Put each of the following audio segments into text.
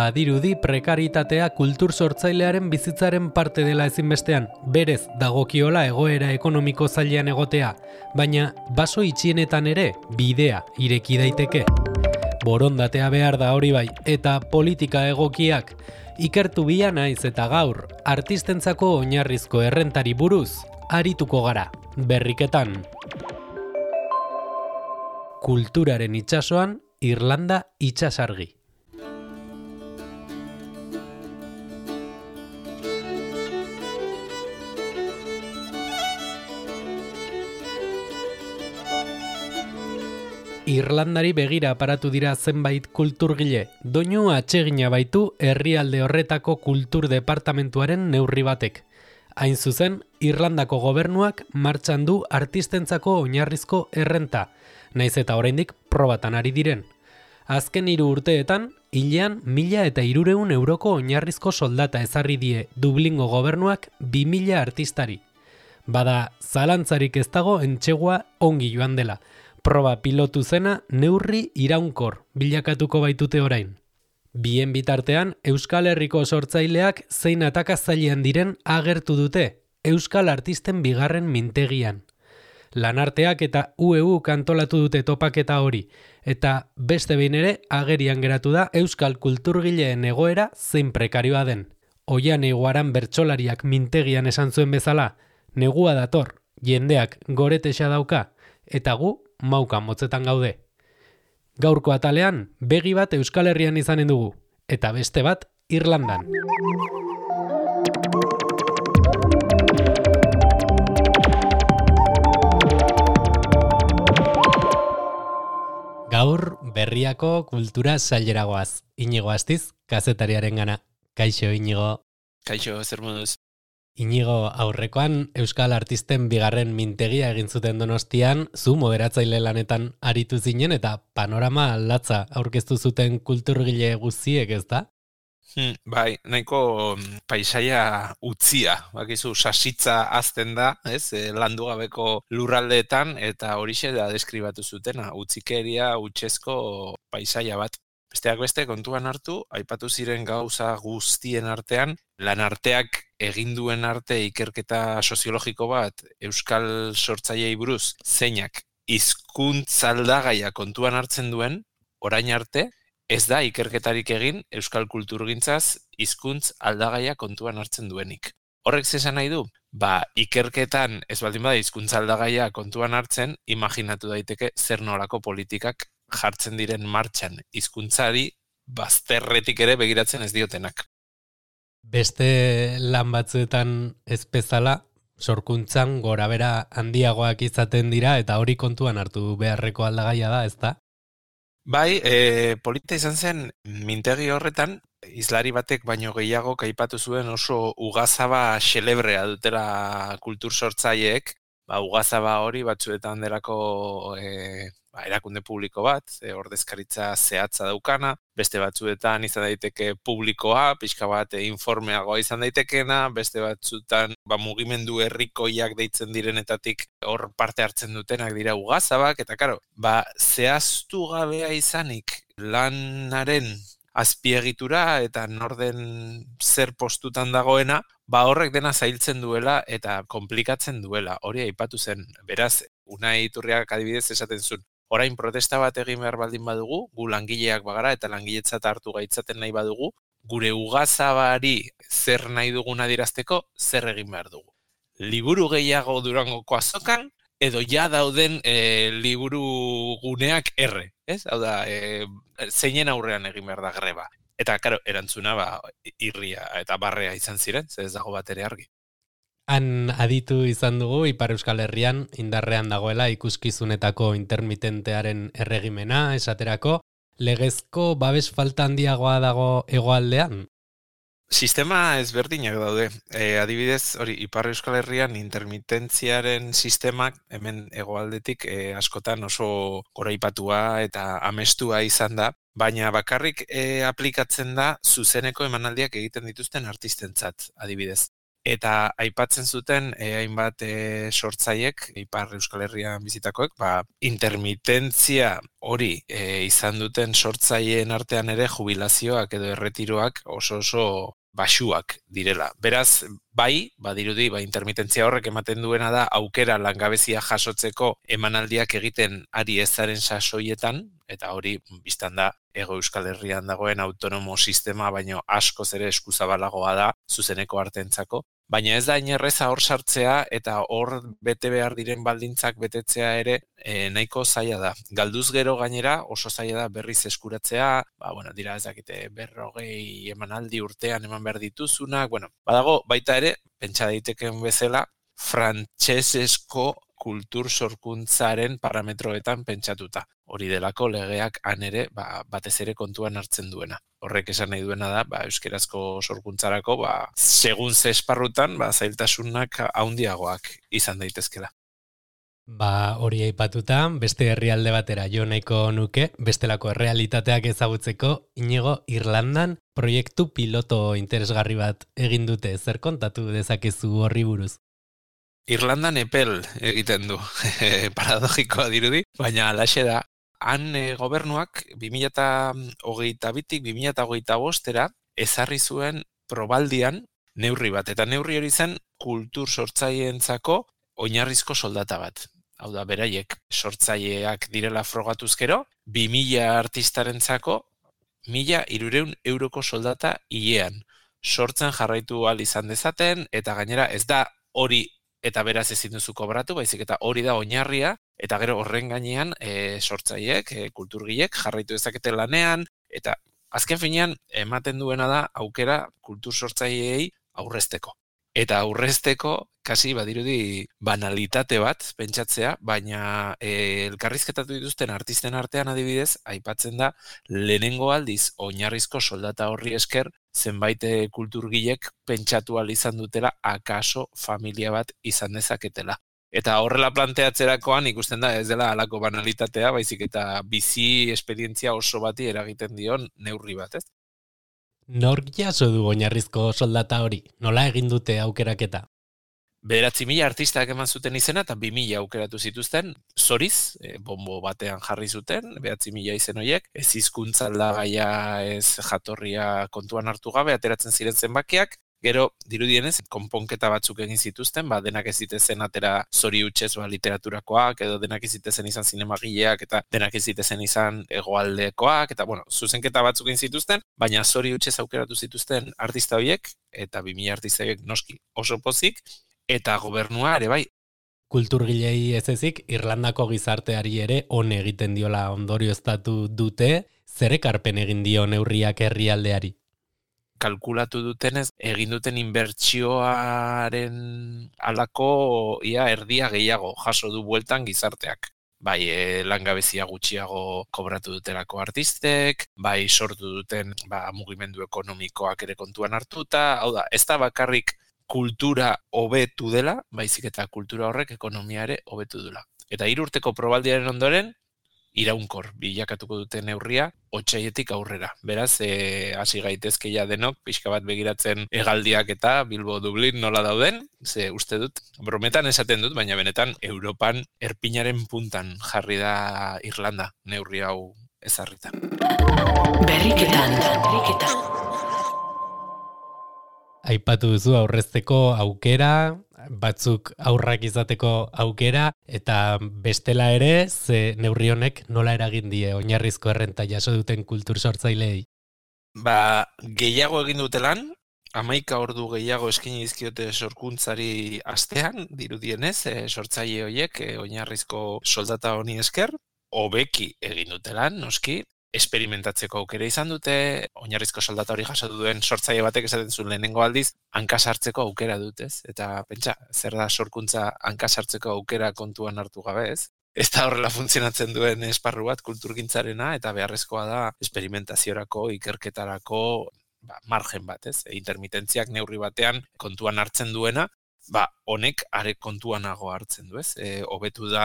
Badirudi prekaritatea kultur sortzailearen bizitzaren parte dela ezinbestean, berez dagokiola egoera ekonomiko zailean egotea, baina baso itxienetan ere bidea ireki daiteke. Borondatea behar da hori bai, eta politika egokiak. Ikertu bila naiz eta gaur, artistentzako oinarrizko errentari buruz, arituko gara, berriketan. Kulturaren itsasoan, Irlanda itsasargi. Irlandari begira aparatu dira zenbait kulturgile, doinu atsegina baitu herrialde horretako kultur departamentuaren neurri batek. Hain zuzen, Irlandako gobernuak martxan du artistentzako oinarrizko errenta, naiz eta oraindik probatan ari diren. Azken 3 urteetan, hilean 1.300 euroko oinarrizko soldata ezarri die Dublingo gobernuak 2.000 artistari. Bada, zalantzarik ez dago entsegua ongi joan dela. Proba pilotu zena neurri iraunkor bilakatuko baitute orain. Bien bitartean, Euskal Herriko sortzaileak zein atakatzailean diren agertu dute, Euskal Artisten bigarren mintegian. Lanarteak eta UEU kantolatu dute topaketa hori, eta beste behin ere agerian geratu da Euskal kulturgileen egoera zein prekarioa den. Oian Eguaran bertsolariak mintegian esan zuen bezala, negua dator, jendeak goretexa dauka, eta gu mauka motzetan gaude. Gaurko atalean, begi bat Euskal Herrian izanen dugu, eta beste bat Irlandan. Gaur berriako kultura saileragoaz. Inigo Astiz, kazetariaren gana. Kaixo, Inigo. Kaixo, zer moduz? Inigo, aurrekoan Euskal Artisten bigarren mintegia egin zuten Donostian, zu moderatzaile lanetan aritu zinen eta panorama latza aurkeztu zuten kulturgile guztiek, ez da? Bai, nahiko paisaia utzia, bakizu sasitza azten da, ez, landu gabeko lurraldeetan, eta horixe da deskribatu zutena, utzikeria, utzezko paisaia bat. Besteak beste kontuan hartu, aipatu ziren gauza guztien artean, lanarteak egin duen arte ikerketa soziologiko bat Euskal sortzaileei buruz zeinak hizkuntz aldagaia kontuan hartzen duen, orain arte, ez da ikerketarik egin Euskal kulturgintzaz hizkuntz aldagaia kontuan hartzen duenik. Horrek zesan nahi du? Ikerketan ez baldin bada hizkuntza aldagaia kontuan hartzen, imaginatu daiteke zer nolako politikak jartzen diren martxan hizkuntzari bazterretik ere begiratzen ez diotenak. Beste lan batzuetan ez bezala, sorkuntzan gorabera handiagoak izaten dira eta hori kontuan hartu beharreko aldagaia da, ez da? Bai, polita izan zen mintegi horretan, hizlari batek baino gehiago aipatu zuen oso ugazaba xelebrea dutela kultur sortzaileek, ugazaba hori batzuetan delako erakunde publiko bat, ordezkaritza zehatza daukana, beste batzuetan izan daiteke publikoa, pixka bat informeagoa izan daitekena, beste batzuetan mugimendu herrikoiak deitzen direnetatik hor parte hartzen dutenak dira ugazabak, eta karo, zehaztu gabea izanik lanaren azpiegitura eta norden zer postutan dagoena, horrek dena zailtzen duela eta komplikatzen duela, hori aipatu zen. Beraz, Unai Iturriak adibidez esaten zuen, orain protesta bat egin behar baldin badugu, gu langileak bagara eta langiletzat hartu gaitzaten nahi badugu, gure ugazabari zer nahi dugun adierazteko, zer egin behar dugu. Liburu gehiago Durangoko azokan, edo ja dauden liburu guneak erre, ez? Hau da, zeinen aurrean egin behar da greba. Eta, karo, erantzuna irria eta barrea izan ziren, ez dago bat ere argi. Han aditu izan dugu Ipar Euskal Herrian indarrean dagoela ikuskizunetako intermitentearen erregimena, esaterako, legezko babes falta handiagoa dago hegoaldean? Sistema ezberdinak daude. Adibidez, hori Ipar Euskal Herrian intermitentziaren sistemak hemen hegoaldetik askotan oso goraipatua eta amestua izan da, baina bakarrik aplikatzen da zuzeneko emanaldiak egiten dituzten artistentzat, adibidez. Eta aipatzen zuten hainbat sortzaiek, Ipar Euskal Herrian bizitakoek, intermitentzia hori izan duten sortzaileen artean ere jubilazioak edo erretiroak oso baxuak direla. Beraz, badirudi, intermitentzia horrek ematen duena da aukera langabezia jasotzeko emanaldiak egiten ari ezaren sasoietan, eta hori biztan da Hego Euskal Herrian dagoen autonomo sistema, baino askoz ere eskuzabalagoa da zuzeneko artentzako. Baina ez da inerreza hor sartzea eta hor bete behar diren baldintzak betetzea ere nahiko zaila da. Galduz gero gainera oso zaila da berriz eskuratzea, dira ez dakite 40 emanaldi urtean eman behar dituzunak, badago baita ere, pentsa daitekeen bezala, frantsesezko kultur sorkuntzaren parametroetan pentsatuta. Hori delako legeak han ere batez ere kontuan hartzen duena. Horrek esan nahi duena da, euskerazko sorkuntzarako, segun ze esparrutan, zailtasunak handiagoak izan daitezkela. Hori aipatuta, beste herrialde batera jo nahiko nuke, bestelako errealitateak ezagutzeko, Iñigo, Irlandan proiektu piloto interesgarri bat egin dute, zer kontatu dezakezu horri buruz? Irlandan epel egiten du, paradogikoa dirudi, baina alaxe da, han gobernuak 2022tik 2025era ezarri zuen probaldian neurri bat, eta neurri hori zen kultur sortzaileentzako oinarrizko soldata bat. Hau da, beraiek sortzaileak direla frogatuzkero, 2000 artistarentzako 1.300 euroko soldata hilean. Sortzen jarraitu ahal izan dezaten, eta gainera ez da hori eta beraz ezin duzu kobratu, baizik eta hori da oinarria, eta gero horren gainean sortzaileek, kulturgileek jarraitu dezakete lanean, eta azken finean ematen duena da aukera kultur sortzaileei aurrezteko. Eta aurrezteko, kasi badirudi banalitate bat pentsatzea, baina elkarrizketatu dituzten artisten artean adibidez, aipatzen da lehenengo aldiz oinarrizko soldata horri esker, zenbait kulturgilek pentsatu ahal izan dutela akaso familia bat izan dezaketela. Eta horrela planteatzerakoan ikusten da ez dela halako banalitatea, baizik eta bizi esperientzia oso bati eragiten dion neurri bat, ez? Nork jaso du oinarrizko soldata hori? Nola egin dute aukeraketa? 9.000 artistak eman zuten izena eta 2.000 aukeratu zituzten, zoriz, bombo batean jarri zuten, 9.000 izen horiek, ez hizkuntza aldagaia, ez jatorria kontuan hartu gabe, ateratzen ziren zenbakiak, gero, dirudienez, konponketa batzuk egin zituzten, denak ez zitezen atera zori hutsez literaturakoak, edo denak ez zitezen izan zinemagileak, eta denak ez zitezen izan hegoaldekoak, eta zuzenketa batzuk egin zituzten, baina zori hutsez aukeratu zituzten artista horiek, eta 2.000 artista horiek noski oso pozik, eta gobernua ere bai. Kulturgilei ez ezik, Irlandako gizarteari ere on egiten diola ondorioztatu dute, zer ekarpen egin dio neurriak herrialdeari? Kalkulatu dutenez, egin duten inbertsioaren alako erdia gehiago jaso du bueltan gizarteak. Bai, langabezia gutxiago kobratu dutelako artistek, bai sortu duten mugimendu ekonomikoak ere kontuan hartuta, hau da, ez da bakarrik kultura hobetu dela, baizik eta kultura horrek ekonomia ere hobetu dela. Eta 3 urteko probaldiaren ondoren, iraunkor bilakatuko dute neurria otsaietik aurrera. Beraz, hasi gaitezkeia denok, pixka bat begiratzen hegaldiak eta Bilbo Dublin nola dauden, ze uste dut, brometan esaten dut, baina benetan Europan erpinaren puntan jarri da Irlanda neurri hau ezarritan. Berriketan. Aipatu duzu aurrezteko aukera, batzuk aurrak izateko aukera, eta bestela ere, ze neurri honek nola eragin die oinarrizko errenta jaso duten kultur sortzaileei? Gehiago egin dutelan, 11 ordu gehiago eskaini dizkiote sorkuntzari astean, dirudienez, sortzaile horiek oinarrizko soldata honi esker, hobeki egin dutelan, noski, esperimentatzeko aukera izan dute, oinarrizko soldata hori jasatu duen sortzaile batek esaten zuen lehenengo aldiz, hankasartzeko aukera dutez. Eta pentsa, zer da sorkuntza hankasartzeko aukera kontuan hartu gabe, ez? Ez da horrela funtzionatzen duen esparru bat kulturgintzarena, eta beharrezkoa da esperimentaziorako, ikerketarako margen bat, ez? Intermitentziak neurri batean kontuan hartzen duena, honek are kontuanago hartzen du, ez? Hobetu da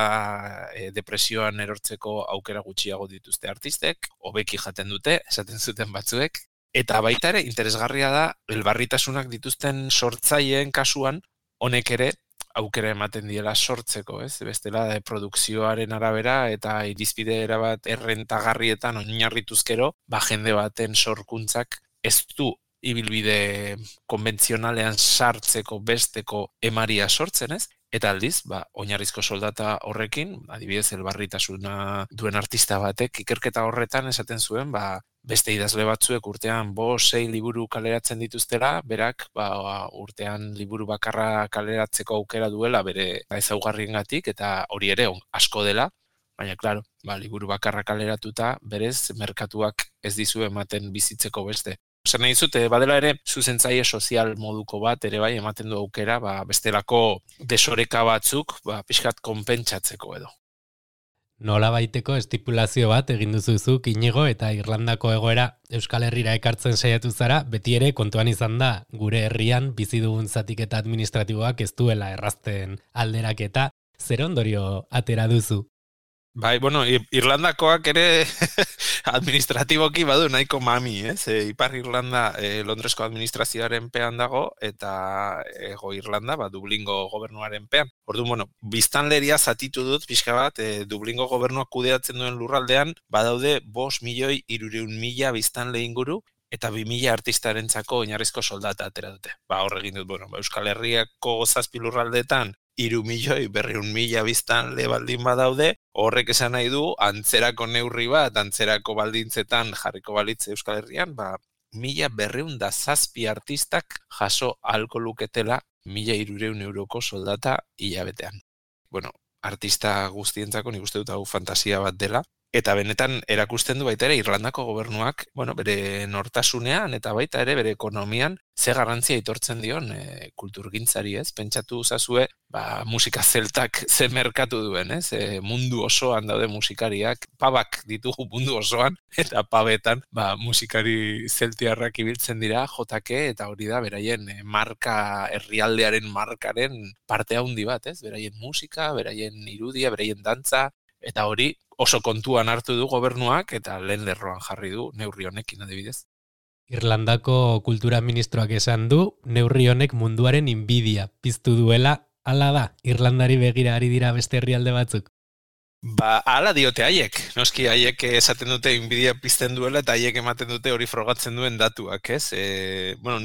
depresioan erortzeko aukera gutxiago dituzte artistek, hobeki jaten dute, esaten zuten batzuek, Eta baita ere, interesgarria da, elbarritasunak dituzten sortzaileen kasuan, honek ere, aukera ematen diela sortzeko, ez? Bestela produkzioaren arabera eta irizpide erabat errentagarrietan oinarrituzkero, jende baten sorkuntzak ez du ibilbide konbentzionalean sartzeko besteko emaria sortzen, ez? Eta aldiz, oinarrizko soldata horrekin, adibidez elbarritasuna duen artista batek ikerketa horretan esaten zuen, beste idazle batzuek urtean 5-6 liburu kaleratzen dituztela, berak urtean liburu bakarra kaleratzeko aukera duela bere ezaugarriengatik eta hori ere asko dela, baina claro, liburu bakarra kaleratuta berez merkatuak ez dizu ematen bizitzeko beste. Zer nahi dizute, badela ere, zuzentzaile sozial moduko bat ere bai ematen du aukera, bestelako desoreka batzuk, pixkat konpentsatzeko edo. Nola baiteko estipulazio bat egin duzuzuk Inigo eta Irlandako egoera Euskal Herrira ekartzen saiatu zara, beti ere kontuan izan da gure herrian bizi dugun zatiketa administratiboak ez duela errazten alderaketa, zer ondorio atera duzu? Bai, Irlandakoak ere administratiboki badu nahiko mami, ez? Ipar Irlanda Londresko administrazioaren pean dago eta Hego Irlanda Dublingo gobernuaren pean. Orduan, biztanleria zatitu dut pixka bat, Dublingo gobernuak kudeatzen duen lurraldean badaude 5.300.000 biztanle inguru eta 2.000 artistarentzako oinarrizko soldata atera dute. Hor egin dut, Euskal Herriako 7 lurraldeetan 3.200.000 biztanle baldin badaude, horrek esan nahi du, antzerako neurri bat, antzerako baldintzetan jarriko balitze Euskal Herrian, 1.207 artistak jaso ahalko luketela 1.300 euroko soldata hilabetean. Artista guztientzako nik uste dut hau fantasia bat dela, eta benetan erakusten du baita ere Irlandako gobernuak, bere nortasunean eta baita ere bere ekonomian ze garrantzia aitortzen dion kulturgintzari, ez? Pentsatu zazue, musika zeltak ze merkatu duen, ez? Mundu osoan daude musikariak, pabak ditugu mundu osoan, eta pabetan musikari zeltiarrak ibiltzen dira, jotake, eta hori da beraien marka, herrialdearen markaren parte handi bat, ez? Beraien musika, beraien irudia, beraien dantza, eta hori oso kontuan hartu du gobernuak eta lehen lerroan jarri du neurri honekin adibidez. Irlandako kultura ministroak esan du neurri honek munduaren inbidia piztu duela, hala da, Irlandari begira ari dira beste herrialde batzuk. Hala diote haiek. Noski haiek esaten dute inbidia pizten duela eta haiek ematen dute hori frogatzen duen datuak, ez?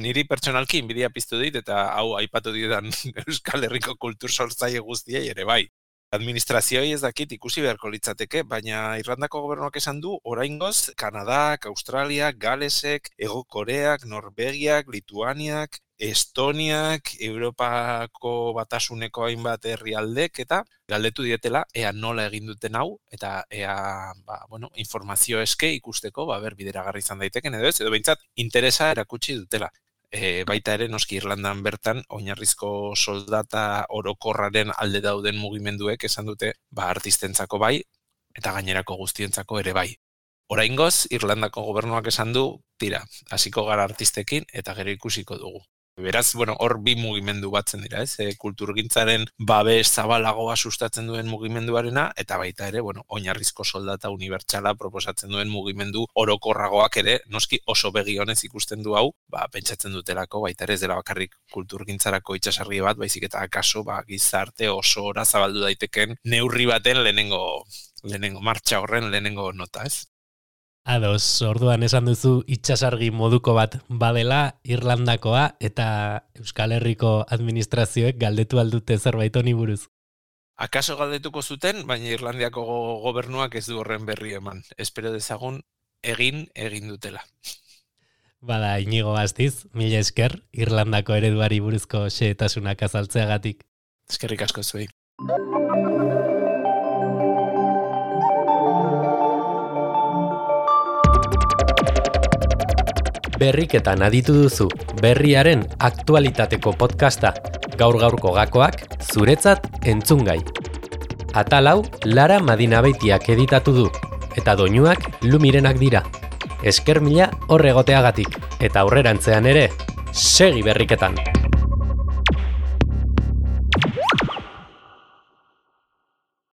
Niri pertsonalki inbidia piztu dit eta hau aipatu dietan Euskal Herriko kultur sortzaile guztiei ere bai. Administrazioi ez dakit ikusi beharko litzateke, baina Irlandako gobernuak esan du oraingoz Kanadak, Australiak, Galesek, Hego Koreak, Norvegiak, Lituaniak, Estoniak, Europako batasuneko hainbat herrialdek eta galdetu dietela ea nola egin duten hau eta ea informazio eske ikusteko bideragarri izan daiteken edo ez, edo behintzat interesa erakutsi dutela. Baita ere, noski Irlandan bertan, oinarrizko soldata orokorraren alde dauden mugimenduek esan dute, artistentzako bai, eta gainerako guztientzako ere bai. Oraingoz, Irlandako gobernuak esan du, tira, hasiko gara artistekin, eta gero ikusiko dugu. Beraz, hor bi mugimendu batzen dira, ez? Kulturgintzaren babes zabalagoa sustatzen duen mugimenduarena, eta baita ere, oinarrizko soldata unibertsala proposatzen duen mugimendu orokorragoak ere, noski oso begi honez ikusten du hau, pentsatzen dutelako, baita ere ez dela bakarrik kulturgintzarako itsasargi bat, baizik eta akaso, gizarte oso ora zabaldu daiteken neurri baten lehenengo martxa horren lehenengo nota, ez? Ados, orduan esan duzu itsasargi moduko bat badela Irlandakoa eta Euskal Herriko administrazioek galdetu aldute zerbait honi buruz. Akaso galdetuko zuten, baina Irlandiako gobernuak ez du horren berri eman. Espero dezagun egin dutela. Bada, Inigo Astiz, mila esker, Irlandako ereduari buruzko xehetasunak azaltzeagatik. Eskerrik asko zuei. Berriketan aditu duzu, berriaren aktualitateko podcasta, gaur-gaurko gakoak, zuretzat entzungai. Atal hau, Lara Madinabeitiak editatu du, eta doinuak Lumirenak dira. Esker mila hor egoteagatik, eta aurrerantzean ere, segi berriketan!